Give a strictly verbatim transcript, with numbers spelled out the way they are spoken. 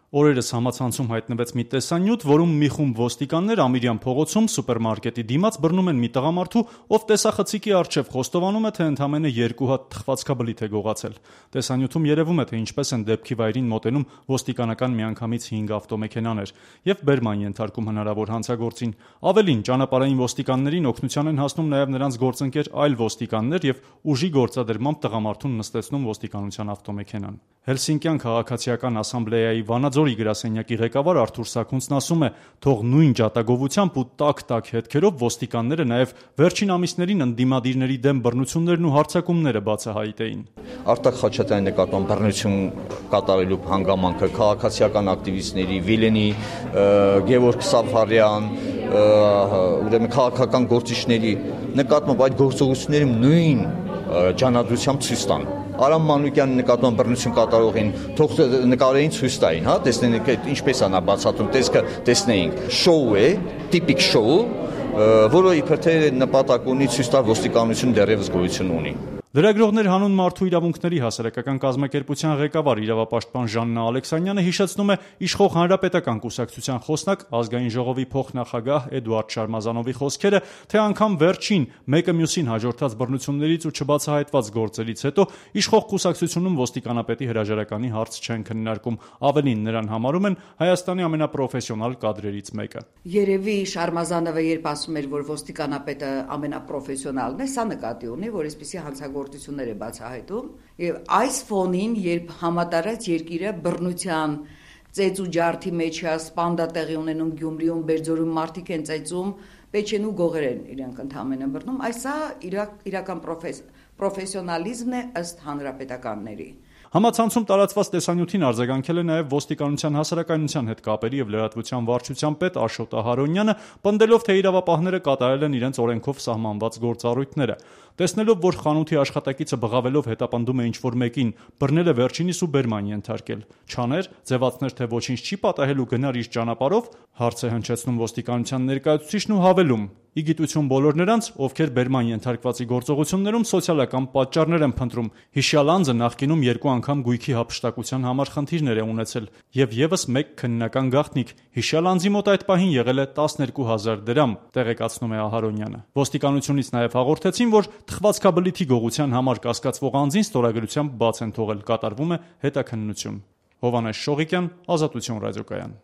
Օրերս համացանցում հայտնվեց մի տեսանյութ, որում մի խումբ ոստիկաններ Ամիրյան փողոցում սուպերմարկետի դիմաց բռնում են մի տղամարդու, ով տեսախցիկի առջև խոստովանում է, թե ընդամենը երկու հատ թխվածքաբլիթ է գողացել։ Տեսանյութում երևում է, թե ինչպես են դեպքի վայրին մոտենում ոստիկանական միանգամից հինգ ավտոմեքենաներ եւ բերման ենթարկում հնարավոր հանցագործին։ Ավելին, ճանապարհային ոստիկաններին օգնության են հասնում նաեւ նրանց գործընկեր այլ ոստիկաններ եւ ուժի գործադրմամբ տղամարդուն նստեցնում ոստիկանության ավտոմեքենան։ Հելսինկյան քաղաքացիական ասամբլեայի Վանաձորի գրասենյակի ղեկավար Արթուր Սաքունցն ասում է, թող նույն ջատագովությամբ ու տաք-տաք հետքերով ոստիկանները նաև վերջին ամիսներին ընդդիմադիրների դեմ բռնություններն ու հարձակումները բացահայտեին։ Արտակ Խաչատրյանի նկատմամբ բռնություն կատարելու հանգամանքը քաղաքացիական ակտիվիստների Վիլենի, Գևորգ Սավարյան, ուրեմն քաղաքական գործիչների նկատմամբ այդ գործողությունների նույն ջանադրությամբ ցույց տան։ Արամ Մանուկյանի նկատմամբ բռնություն կատարողին թող նկարային ցույց տային, հա, տեսնենք ինչպես է նա բացատրում, տեսքը տեսնեինք։ Շոու է, տիպիկ շոու, որը իբր թե նպատակ ունի ցույց տալ ոստիկանություն դեռևս գոյություն ունի։ Լրագրողներ հանուն մարդու իրավունքների հասարակական կազմակերպության ղեկավար իրավապաշտպան Ժաննա Ալեքսանյանը հիշեցնում է իշխող Հանրապետական կուսակցության խոսնակ Ազգային ժողովի փոխնախագահ Էդուարդ Շարմազանովի խոսքերը, թե անգամ վերջին մեկը մյուսին հաջորդած բռնություններից ու չբացահայտված գործերից հետո իշխող կուսակցությունում ոստիկանապետի հրաժարականի հարց չեն քննարկում, ավելին նրան համարում են Հայաստանի ամենապրոֆեսիոնալ կադրերից մեկը։ Երևի Շարմազանովը երբ ասում էր, որ ոստիկանապետը ամենապրոֆեսիոնալն է, սա նկատի ունի, որ այսպիսի հանցագործություններ է բացահայտում, եւ այս ֆոնին, երբ համատարած երկիրը բռնության ծեծ ու ջարդի մեջ է, սպանդա տեղի ունենում Գյումրիում, Բերձորում մարդիկ են ծեծում, Պեչեն ու գողեր են իրենք ընդհանրապես բռնում, այսա իրակ, իրական պրոֆեսիոնալիզմն է ըստ հանրապետականների։ Համացանցում տարածված տեսանյութին արձագանքել է նաև ոստիկանության հասարակայնության հետ կապերի եւ լրատվության վարչության պետ Աշոտ Ահարոնյանը, պնդելով, թե իրավապահները կատարել են իրենց օրենքով սահմանված գործառույթները։ Տեսնելով, որ խանութի աշխատակիցը բղավելով հետապնդում է ինչ-որ մեկին, բռնել է վերջինիս ու բերման ենթարկել։ Չաներ, ձևացներ, թե ոչինչ չի պատահել ու գնար իր ճանապարհով, հարց է հնչեցնում ոստիկանության ներկայացուցիչն ու հավելում. ի գիտություն բոլոր նրանց, ովքեր բերման ենթարկվածի գործողություններում սոցիալական պատճառներ են փնտրում։ Հիշյալ անձը նախկինում երկու անգամ գույքի հափշտակության համար խնդիրներ է ունեցել եւ եւս մեկ քննական գաղտնիք։ Հիշյալ անձի մոտ այդ պահին եղել է տասներկու հազար դրամ, տեղեկացնում է Ահարոնյանը։ Ոստիկանությունից նաեւ հաղորդեցին, որ թխվածքաբլիթի գողության համար կասկածվող անձին ստորագրությամբ բաց են թողել, կատարվում է հետաքննություն։ Հովհաննես Շողիկյան, Ազատություն ռադիոկայան։